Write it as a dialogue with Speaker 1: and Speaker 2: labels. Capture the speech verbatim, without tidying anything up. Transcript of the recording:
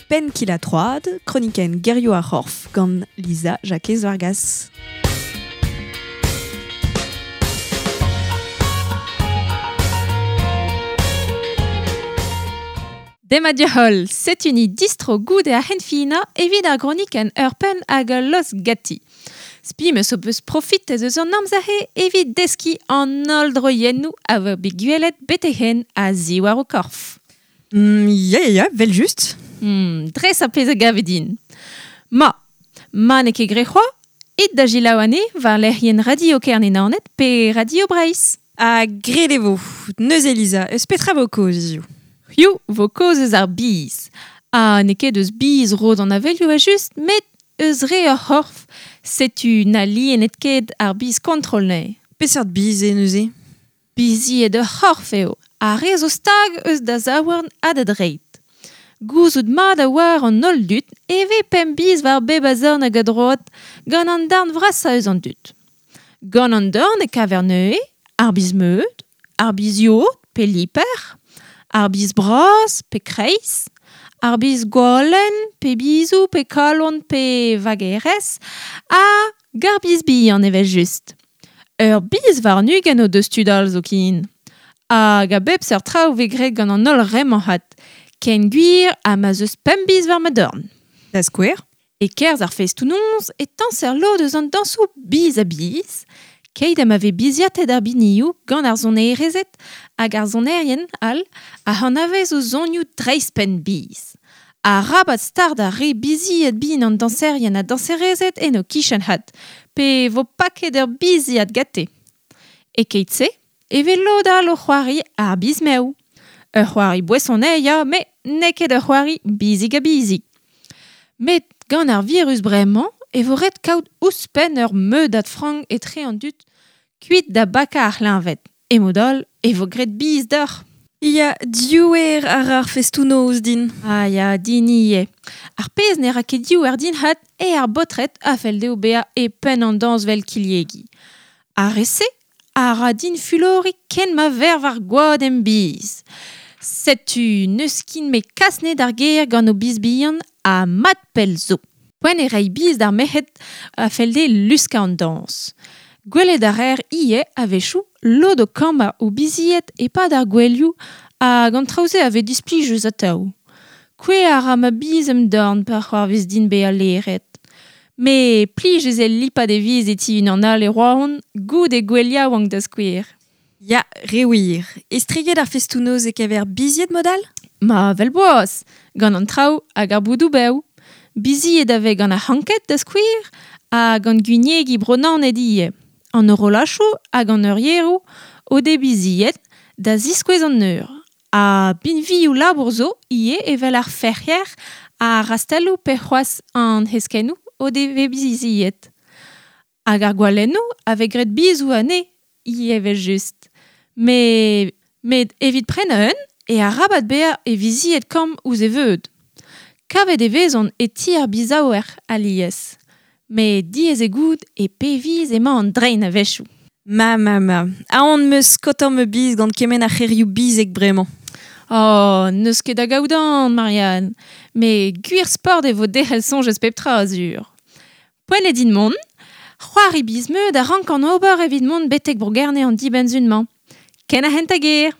Speaker 1: Penn kil ha troad, kronikenn gerioù ar c'horf gant Lisa Jakez Vargas.
Speaker 2: Demat diouzh, setu ni distro goude ar c'henfinañ evit ar gronikenn ur penn hag ul lost ganti. Spi meus ho peus profitet eus an amzer-se evit deskiñ an holl droiennoù a vo bet gwelet betek-henn a-ziwar ho korf.
Speaker 1: Mm, ya, ya, ya, vel just.
Speaker 2: Mm, dres ar pezh a gave din. Ma, ma n'eo ket graet c'hoazh, it da selaou anezhe war lec'hienn Radio Kerne-Naoned pe Radio Breizh.
Speaker 1: Ha graet e vo. Neuze Lisa, eus petra vo kaoz hiziv?
Speaker 2: Hiziv vo kaoz eus ar biz. Ha n'eo ket eus biz rod an avelioù evel-just, met eus re ur c'horf. Setu na lienet ket ar biz kontrol neuze.
Speaker 1: Peseurt biz eo neuze?
Speaker 2: Bizied ur c'horf eo, ar re zo stag eus da zaouarn ha da dreid. Gouzout mat a oar an holl dud e vez pemp biz war bep a zorn hag a droad gant an darn vrasañ eus an dud. Gant an dorn e kaver neuze ar biz meud, ar biz yod pe liper, ar biz bras pe kreiz, ar biz gwalenn pe bizoù pe kalon pe vagerez ha gar biz bihan evel-just. Ur biz warn-ugent o deus tud all zoken. Hag a bep seurt traoù vez graet gant an holl re-mañ c'hat. Ken gwir ha ma 'z eus pemp biz war ma dorn.
Speaker 1: Da skouer?
Speaker 2: E-kerzh ar festoù-noz e tañser lod eus an dañsoù biz ha biz, keit ha ma vez biziatet ar binioù gant ar sonerezed hag ar sonerien all a anavez o sonioù dreist-penn biz. Arabat start ar re bizied bin an dañserien ha dañserezed en o kichen c'hat, pe vo paket ur biziad gante. E keit-se e vez lod all o c'hoari ar biz mev. Ur c'hoari boeson eo ya, met n'eo ket ur c'hoari bizig ha bizig. Met gant ar virus bremañ e vo ret kaout ouzhpenn ur meudad frank etre an dud kuit da bakañ ar c'hleñved. E mod all e vo graet biz deoc'h.
Speaker 1: Ya, diouer ar ar festoù-noz din.
Speaker 2: Ah ya, din ivez. Ar pezh ne ra ket diouer din c'hat eo ar baotred a fell dezho bezañ e penn an dañs 'vel kilhegi. Ar re-se a ra din fuloriñ ken ma verv ar gwad em biz. Setu n'eus kin me kas anezhe d'ar gêr gant o biz bihan ha mat pell zo. Poent eo reiñ biz d'ar merc'hed a fell dezhe luskañ an dañs. Gwelet a reer ivez a-wechoù lod o kammañ o bizied e-pad ar gouelioù hag an traoù-se a vez displijus atav. Kouezhañ a ra ma biz em dorn pa c'hoarvez din bezañ laeret. Met plijus eo lipat e viz e ti unan all e Roazhon goude gouel yaouank da skouer.
Speaker 1: Ya, re wir. Estreget ar festoù-noz e kever bizied mod all?
Speaker 2: Ma, vel boaz, gant an traoù hag ar boudoù bev. Bizied a vez gant ar c'hanked da skouer ha gant gwiniegi Bro-Naoned ivez. An horolachoù hag an eurieroù o dez bizied da ziskouez an eur. Ha binvioù labour zo ivez evel ar ferc'hier, ar rastelloù pe c'hoazh an heskennoù o devez bizied. Hag ar gwalennoù a vez graet bizoù anezhe ivez evel-just. Met, met evit prenañ un e arabat bezañ e vizied kamm ouzh e veud. Kavet e vezont e ti ar bizaouer alies. Met diaes eo goût e pe viz emañ an drein a-wechoù.
Speaker 1: Ma, ma, ma. Aon 'm eus skaotañ ma biz gant kement a c'herioù bizek bremañ.
Speaker 2: Oh, n'eus ket da gaout aon, Marianne. Met gwir sport e vo derc'hel soñj eus pep tra, sur. Poent eo din mont. C'hoari biz-meud a rankan ober evit mont betek Bro-Gerne an dibenn-sizhun-mañ. Ken ar c'hentañ ger.